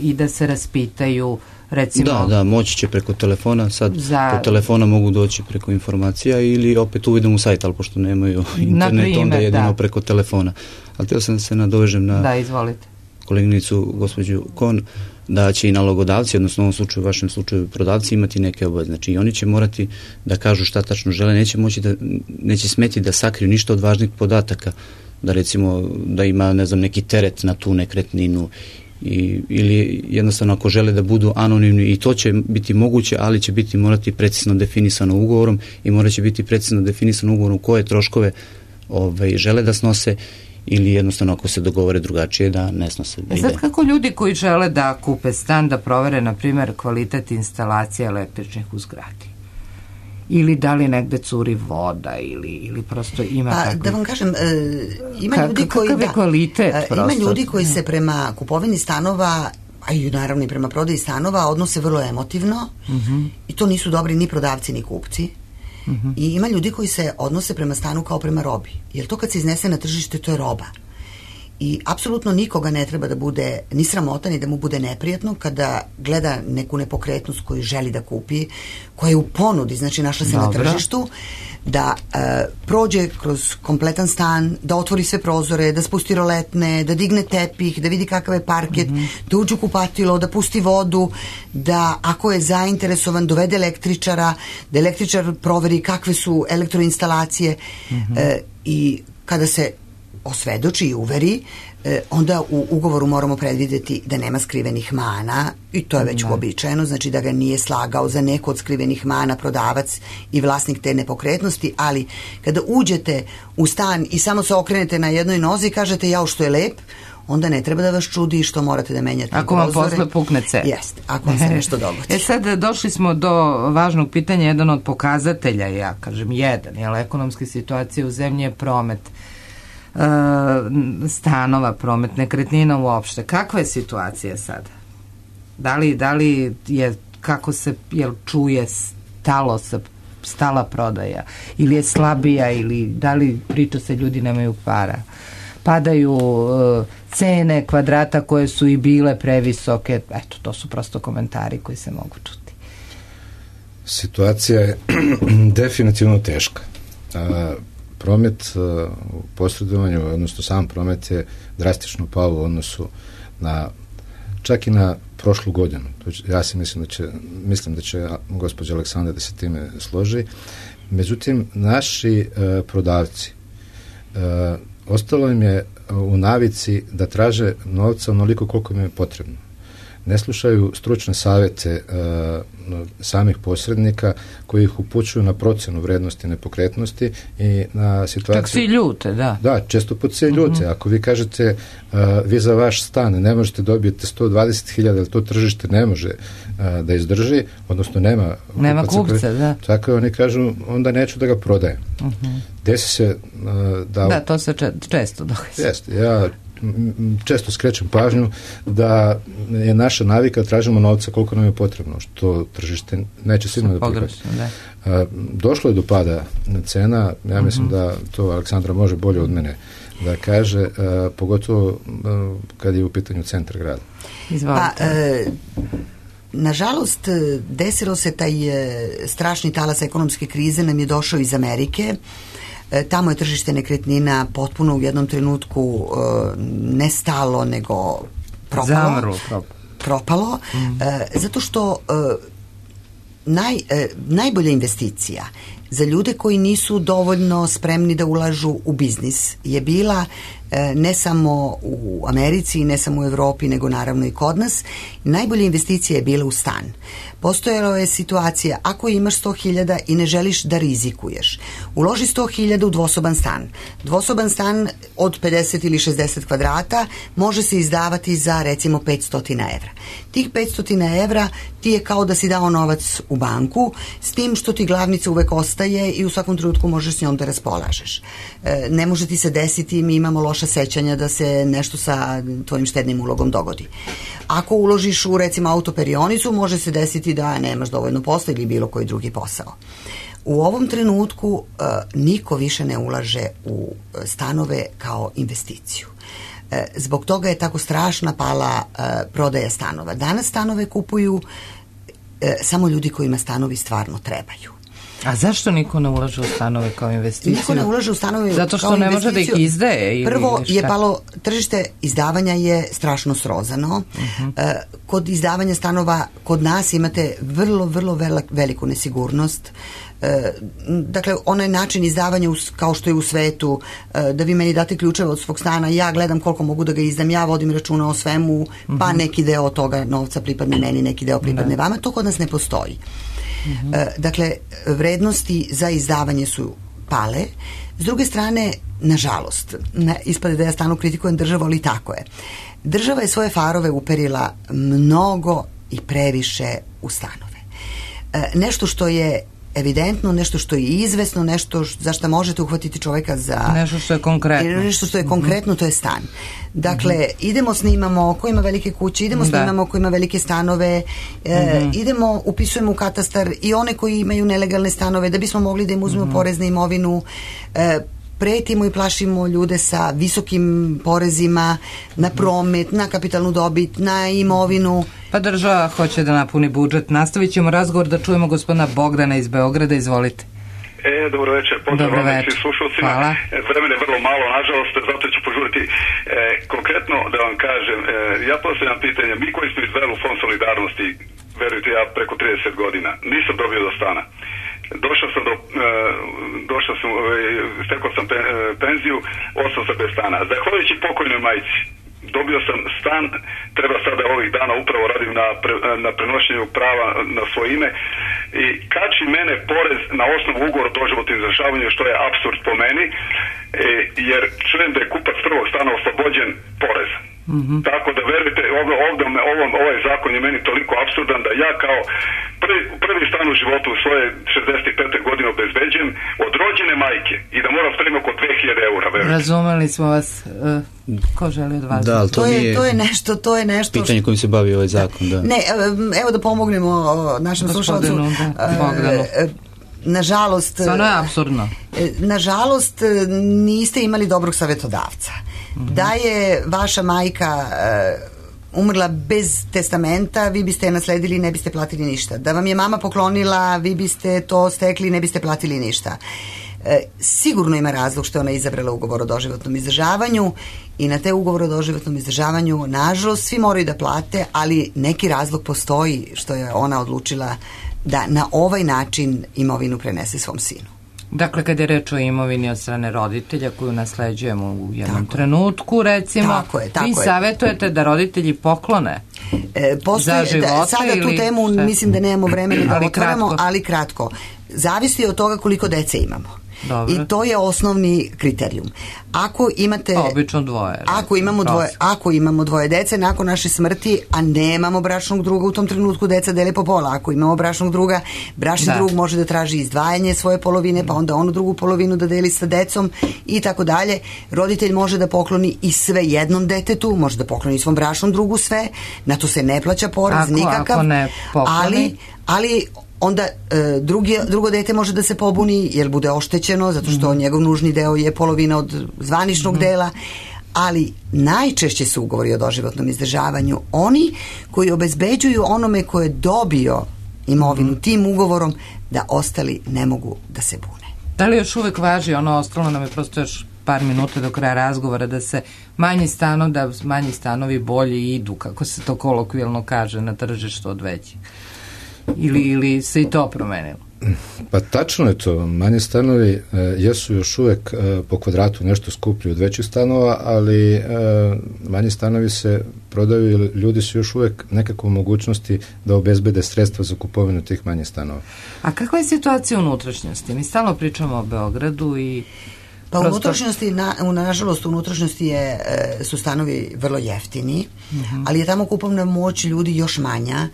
i da se raspitaju, recimo... Da, moći će preko telefona, sad po telefona mogu doći preko informacija ili opet uvidom u sajt, ali pošto nemaju internet, onda jedino preko telefona. Ali htio sam da se nadovežem na koleginicu, gospođu Kon, da će i nalogodavci, odnosno u ovom slučaju, u vašem slučaju prodavci, imati neke obaveze. Znači i oni će morati da kažu šta tačno žele, neće smeti da sakriju ništa od važnih podataka, da recimo da ima, ne znam, neki teret na tu nekretninu ili jednostavno ako žele da budu anonimni, i to će biti moguće, ali će biti morati precizno definisano ugovorom i morat će biti precizno definisano ugovorom koje troškove žele da snose, ili jednostavno ako se dogovore drugačije da ne snose. Sad kako ljudi koji žele da kupe stan da provere, na primjer, kvalitet instalacije električnih u zgradi? Ili da li negde curi voda ili prosto ima takvih... Da vam kažem, ima ljudi koji... Kakav je kvalitet prosto? Ima ljudi koji se prema kupovini stanova, a i naravno i prema prodaji stanova, odnose vrlo emotivno i to nisu dobri ni prodavci ni kupci. I ima ljudi koji se odnose prema stanu kao prema robi. Jer to kad se iznese na tržište, to je roba. I apsolutno nikoga ne treba da bude ni sramotan i da mu bude neprijatno kada gleda neku nepokretnost koju želi da kupi, koja je u ponudi, znači našla se na tržištu, da prođe kroz kompletan stan, da otvori sve prozore, da spusti roletne, da digne tepih, da vidi kakav je parket, da uđe u kupatilo, da pusti vodu, da ako je zainteresovan dovede električara, da električar proveri kakve su elektroinstalacije i kada se osvedoči i uveri, onda u ugovoru moramo predvideti da nema skrivenih mana i to je već uobičajeno, znači da ga nije slagao za neko od skrivenih mana prodavac i vlasnik te nepokretnosti, ali kada uđete u stan i samo se okrenete na jednoj nozi i kažete jao što je lep, onda ne treba da vas čudi što morate da menjate ako vam posle pukne cev. Jeste, ako vam se nešto dogodi. Sad došli smo do važnog pitanja, jedan od pokazatelja, ja kažem jedan, ekonomske situacije u zemlji je promet stanova, promet nekretnina uopšte. Kakva je situacija sada? Da li je kako se čuje stala prodaja, ili je slabija, ili da li priča se ljudi nemaju para, padaju cene kvadrata koje su i bile previsoke. Eto, to su prosto komentari koji se mogu čuti. Situacija je definitivno teška. Promet u posredovanju, odnosno sam promet je drastično pao u odnosu na, čak i na prošlu godinu. Ja si mislim da će gospođa Aleksandra da se time složi. Međutim, naši prodavci ostalo im je u navici da traže novca onoliko koliko im je potrebno. Ne slušaju stručne savjete samih posrednika koji ih upućuju na procjenu vrednosti nepokretnosti i na situaciju... Čak svi ljute, da. Da, često put svi ljute. Ako vi kažete vi za vaš stan ne možete dobiti 120.000, ali to tržište ne može da izdrži, odnosno nema kupca, da. Tako oni kažu, onda neću da ga prodajem. Desi se da, to se često događa. Jeste, ja često skrećem pažnju da je naša navika tražimo novca koliko nam je potrebno, što tržište neće sigurno da prihvati. Došlo je do pada cena, ja mislim da to Aleksandra može bolje od mene da kaže, pogotovo kad je u pitanju centar grada. Nažalost, desilo se taj strašni talas ekonomske krize nam je došao iz Amerike. Tamo je tržište nekretnina potpuno u jednom trenutku ne stalo, nego propalo. Zato što najbolja investicija za ljude koji nisu dovoljno spremni da ulažu u biznis je bila ne samo u Americi, ne samo u Evropi, nego naravno i kod nas. Najbolja investicija je bila u stan. Postojala je situacija, ako imaš 100.000 i ne želiš da rizikuješ, uloži 100.000 u dvosoban stan. Dvosoban stan od 50 ili 60 kvadrata može se izdavati za recimo 500 evra. Tih 500 evra ti je kao da si dao novac u banku, s tim što ti glavnica uvek ostaje i u svakom trenutku možeš s njom da raspolažeš. Ne može ti se desiti, mi imamo loša sećanja da se nešto sa tvojim štednim ulogom dogodi. Ako uložiš u recimo autoperionicu, može se desiti da nemaš dovoljno posla ili bilo koji drugi posao. U ovom trenutku niko više ne ulaže u stanove kao investiciju. Zbog toga je tako strašna pala prodaja stanova. Danas stanove kupuju samo ljudi kojima stanovi stvarno trebaju. A zašto niko ne ulaže u stanove kao investiciju? Niko ne ulaže u stanove kao investiciju. Zato što ne može da ih izdaje? Prvo je palo, tržište izdavanja je strašno srozano. Kod izdavanja stanova kod nas imate vrlo veliku nesigurnost. Dakle, onaj način izdavanja kao što je u svetu, da vi meni date ključeve od svog stana, ja gledam koliko mogu da ga izdam, ja vodim računa o svemu, pa neki deo toga novca pripadne meni, neki deo pripadne vama, to kod nas ne postoji. Dakle, vrednosti za izdavanje su pale. S druge strane, nažalost, ispade da ja stalno kritikujem državu, ali tako je. Država je svoje farove uperila mnogo i previše u stanove. Nešto što je evidentno, nešto što je izvesno, nešto za što možete uhvatiti čoveka za... Nešto što je konkretno. Nešto što je konkretno, to je stan. Dakle, idemo snimamo ko ima velike kuće, idemo snimamo ko ima velike stanove, idemo, upisujemo u katastar i one koji imaju nelegalne stanove, da bismo mogli da im uzmemo porez na imovinu, pretimo i plašimo ljude sa visokim porezima na promet, na kapitalnu dobit, na imovinu. Pa država hoće da napuni budžet. Nastavit ćemo razgovor da čujemo gospodina Bogdana iz Beograda. Izvolite. Dobro večer, pozdrav vam svim slušalcima. Vremena je vrlo malo, nažalost, zato ću požuriti. Konkretno da vam kažem, ja postavljam pitanje, mi koji smo izveli u Fond solidarnosti, verujte, ja preko 30 godina, nisam dobio do stana. Stekao sam penziju, ostao sam bez stana. Zahvaljujući pokojnoj majci, dobio sam stan, treba sada ovih dana upravo radim na prenošenju prava na svoje ime i kači mene porez na osnovu ugovora o doživotnom izdržavanju, što je apsurd po meni, jer čujem da je kupac prvog stana oslobođen poreza. Tako da verujte, ovaj zakon je meni toliko apsurdan da ja kao prvi stan u životu u svoje 65. godine obezbeđujem od rođene majke i da moram spremiti oko 2000 eura. Verujte. Razumeli smo vas. Ko želi od vas? Da, ali to je nešto pitanje kojim se bavi ovaj zakon. Da. Ne, evo da pomognemo našem slušalcu. Nažalost, stvarno je apsurdno. Nažalost, niste imali dobrog savjetodavca. Da je vaša majka umrla bez testamenta, vi biste je nasledili i ne biste platili ništa. Da vam je mama poklonila, vi biste to stekli i ne biste platili ništa. Sigurno ima razlog što je ona izabrala ugovor o doživotnom izdržavanju i na te ugovor o doživotnom izdržavanju, nažalost, svi moraju da plate, ali neki razlog postoji što je ona odlučila da na ovaj način imovinu prenese svom sinu. Dakle, kada je reč o imovini od strane roditelja koju nasleđujemo u jednom trenutku, recimo, vi savjetujete da roditelji poklone za života sada tu temu mislim da nemamo vremena da otvaramo, ali kratko. Zavisi od toga koliko dece imamo. Dobro. I to je osnovni kriterijum. Ako imate obično dvoje. Ako imamo dvoje dece nakon naše smrti, a nemamo bračnog druga u tom trenutku, deca dele po pola. Ako imamo bračnog druga, bračni drug može da traži izdvajanje svoje polovine, pa onda onu drugu polovinu da deli sa decom i tako dalje. Roditelj može da pokloni i sve jednom detetu, može da pokloni svom bračnom drugu sve, na to se ne plaća porez nikakav. Ako ne pokloni, ali onda drugo dete može da se pobuni jer bude oštećeno zato što njegov nužni deo je polovina od zvaničnog dela, ali najčešće su ugovori o doživotnom izdržavanju oni koji obezbeđuju onome ko je dobio imovinu tim ugovorom da ostali ne mogu da se bune. Da li još uvek važi ono, ostalo nam je prosto još par minuta do kraja razgovora, da se manji stanovi bolje idu, kako se to kolokvijalno kaže, na tržištu od većih? Ili se i to promenilo? Pa tačno je to. Manji stanovi jesu još uvek po kvadratu nešto skuplji od većih stanova, ali manji stanovi se prodaju i ljudi su još uvek nekako u mogućnosti da obezbede sredstva za kupovinu tih manjih stanova. A kakva je situacija u unutrašnjosti? Mi stalno pričamo o Beogradu i pa u unutrašnjosti, nažalost, u unutrašnjosti su stanovi vrlo jeftini, ali je tamo kupovna moć ljudi još manja.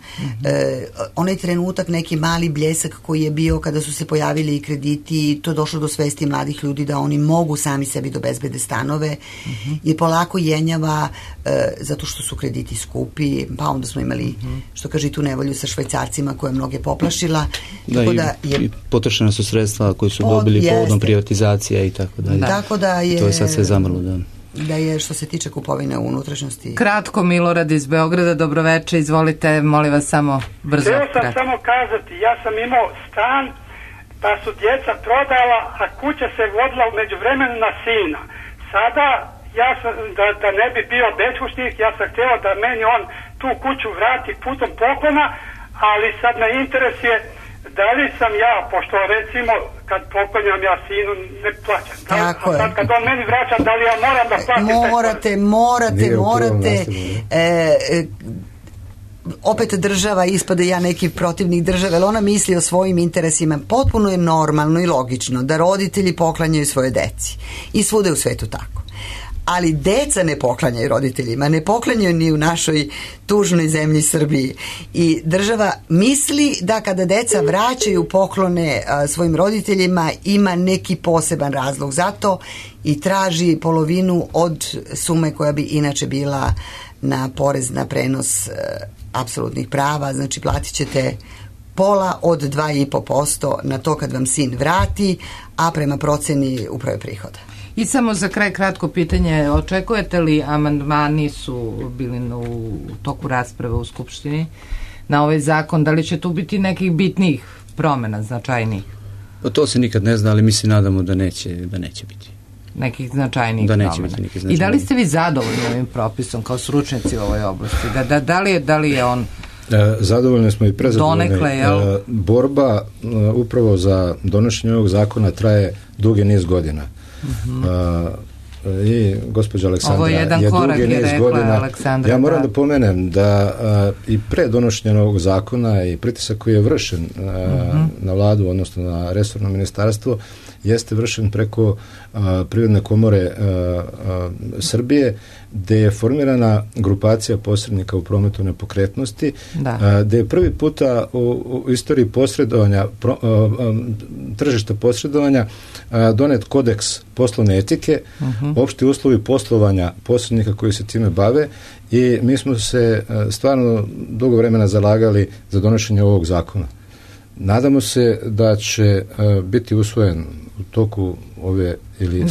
Onaj trenutak, neki mali bljesak koji je bio kada su se pojavili i krediti, to je došlo do svesti mladih ljudi da oni mogu sami sebi da obezbede stanove, je polako jenjava zato što su krediti skupi, pa onda smo imali, što kaže, tu nevolju sa Švajcarcima koja je mnoge poplašila. I potrošena su sredstva koje su dobili povodom privatizacija i tako dalje. Tako da je, to je sad sve zamrlo, da je što se tiče kupovine u unutrašnjosti. Kratko, Milorad iz Beograda, dobroveče, izvolite, molim vas samo brzo. Htio sam samo kazati, ja sam imao stan, pa su djeca prodala, a kuća se vodila umeđu vremenu na sina. Sada, ja sam, da ne bi bio beskućnik, ja sam htio da meni on tu kuću vrati putom poklona, ali sad me interesuje da li sam ja, pošto recimo kad poklonjam ja sinu ne plaćam. Tako je. Kad on meni vraća, da li ja moram da platim? Morate. Opet država ispada ja neki protivnik države, ali ona misli o svojim interesima. Potpuno je normalno i logično da roditelji poklanjaju svoje deci. I svuda u svetu tako. Ali deca ne poklanjaju roditeljima, ne poklanjaju ni u našoj tužnoj zemlji Srbiji. I država misli da kada deca vraćaju poklone svojim roditeljima ima neki poseban razlog za to i traži polovinu od sume koja bi inače bila na porez na prenos apsolutnih prava. Znači platit ćete pola od 2,5% na to kad vam sin vrati, a prema proceni uprave prihoda. I samo za kraj kratko pitanje, očekujete li, amandmani su bili u toku rasprave u Skupštini na ovaj zakon, da li će tu biti nekih bitnijih promjena, značajnijih? Pa to se nikad ne zna, ali mi se nadamo da neće biti. Nekih značajnijih promjena. I da li ste vi zadovoljni ovim propisom kao stručnjaci u ovoj oblasti? Da li je on zadovoljni smo i prezadovoljni. Borba upravo za donošenje ovog zakona traje dugi niz godina. i gospođa Aleksandra Ovo je jedan korak, je rekla Aleksandra. Ja moram da pomenem da i pre donošenja ovog zakona i pritisak koji je vršen na vladu, odnosno na resorno ministarstvo, jeste vršen preko Privredne komore Srbije, gde je formirana grupacija posrednika u prometu nepokretnosti, gde je prvi puta u istoriji posredovanja, tržišta posredovanja, donet kodeks poslovne etike, opšti uslovi poslovanja posrednika koji se time bave, i mi smo se stvarno dugo vremena zalagali za donošenje ovog zakona. Nadamo se da će biti usvojen u toku ove ili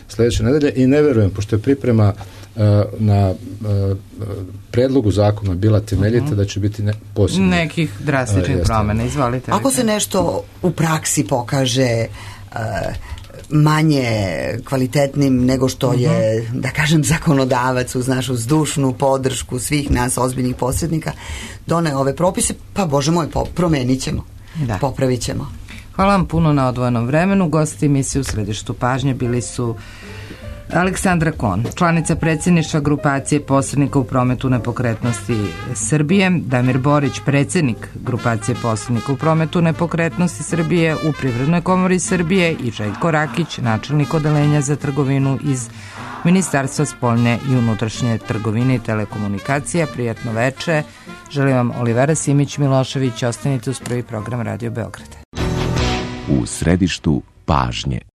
sledeće nedelje, i ne verujem, pošto je priprema na predlogu zakona bila temeljita, da će biti posebno nekih drastičnih promjena. Izvolite. Ako se nešto u praksi pokaže manje kvalitetnim nego što je, da kažem, zakonodavac uz našu zdušnu podršku svih nas ozbiljnih posrednika doneo ove propise, pa Bože moj, promenit ćemo, popravit ćemo. Hvala vam puno na odvojenom vremenu. Gosti emisije U središtu pažnje bili su Aleksandra Kon, članica predsjedništva grupacije posrednika u prometu nepokretnosti Srbije, Damir Borić, predsjednik grupacije posrednika u prometu nepokretnosti Srbije u Privrednoj komori Srbije, i Željko Rakić, načelnik odeljenja za trgovinu iz Ministarstva spoljne i unutrašnje trgovine i telekomunikacija. Prijatno veče. Želim vam Olivera Simić-Milošević. Ostanite uz prvi program Radio Beograda. U središtu pažnje.